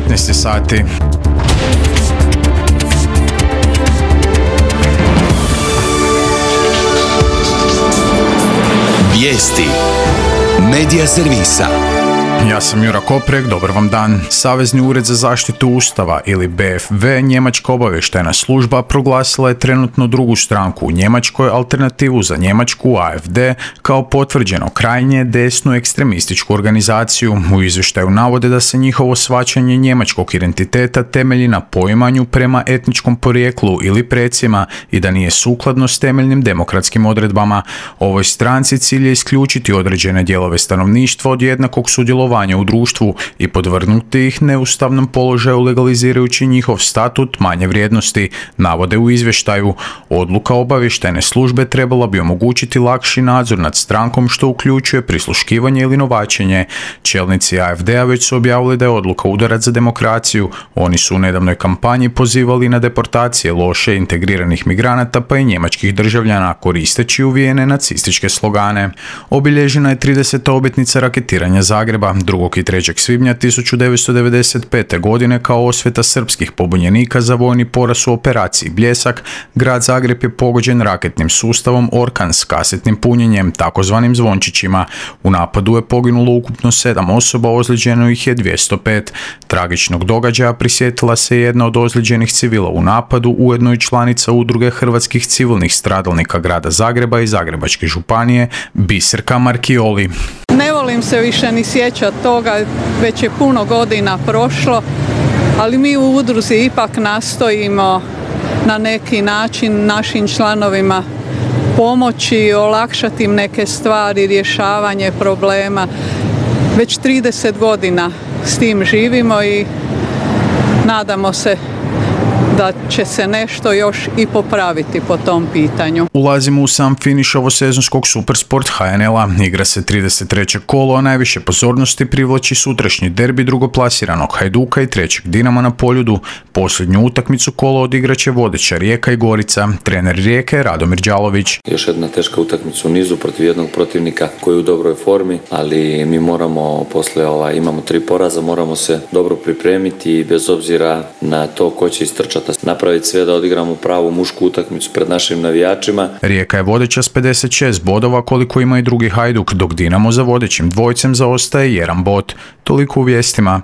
15 sati. Vijesti Medija servisa. Ja sam Jura Koprek, dobar vam dan. Savezni ured za zaštitu Ustava ili BFV, njemačka obavještajna služba, proglasila je trenutno drugu stranku u Njemačkoj, alternativu za Njemačku, AfD, kao potvrđeno krajnje desnu ekstremističku organizaciju. U izvještaju navode da se njihovo shvaćanje njemačkog identiteta temelji na poimanju prema etničkom porijeklu ili precima i da nije sukladno s temeljnim demokratskim odredbama. Ovoj stranci cilj je isključiti određene dijelove stanovništva od jednakog sudjelovanja u društvu i podvrgnuti ih neustavnom položaju legalizirajući njihov statut manje vrijednosti, navode u izvještaju. Odluka obavještajne službe trebala bi omogućiti lakši nadzor nad strankom, što uključuje prisluškivanje ili novačenje. Čelnici AfD-a već su objavili da je odluka udarac za demokraciju. Oni su u nedavnoj kampanji pozivali na deportacije loše integriranih migranata pa i njemačkih državljana, koristeći uvijene nacističke slogane. Obilježena je 30. obljetnica raketiranja Zagreba 2. i 3. svibnja 1995. godine kao osveta srpskih pobunjenika za vojni poraz u operaciji Bljesak. Grad Zagreb je pogođen raketnim sustavom Orkan s kasetnim punjenjem, takozvanim zvončićima. U napadu je poginulo ukupno 7 osoba, ozlijeđeno ih je 205. Tragičnog događaja prisjetila se jedna od ozlijeđenih civila u napadu, ujedno i članica udruge hrvatskih civilnih stradalnika grada Zagreba i Zagrebačke županije, Biserka Markioli. Ne volim se više ni sjećati toga, već je puno godina prošlo, ali mi u udruzi ipak nastojimo na neki način našim članovima pomoći, olakšati im neke stvari, rješavanje problema. Već 30 godina s tim živimo i nadamo se da će se nešto još i popraviti po tom pitanju. Ulazimo u sam finiš ovosezonskog Supersport HNL-a. Igra se 33. kolo, a najviše pozornosti privlači sutrašnji derbi drugoplasiranog Hajduka i trećeg Dinama na Poljudu. Posljednju utakmicu kola odigraće vodeća Rijeka i Gorica. Trener Rijeke je Radomir Đalović. Još jedna teška utakmica u nizu protiv jednog protivnika koji je u dobroj formi, ali mi moramo imamo 3 poraza, moramo se dobro pripremiti i bez obzira na to ko će istrčati, napraviti sve da odigramo pravu mušku utakmicu pred našim navijačima. Rijeka je vodeća s 56 bodova koliko ima i drugi Hajduk, dok Dinamo za vodećim dvojcem zaostaje 1 bod. Toliko u vijestima.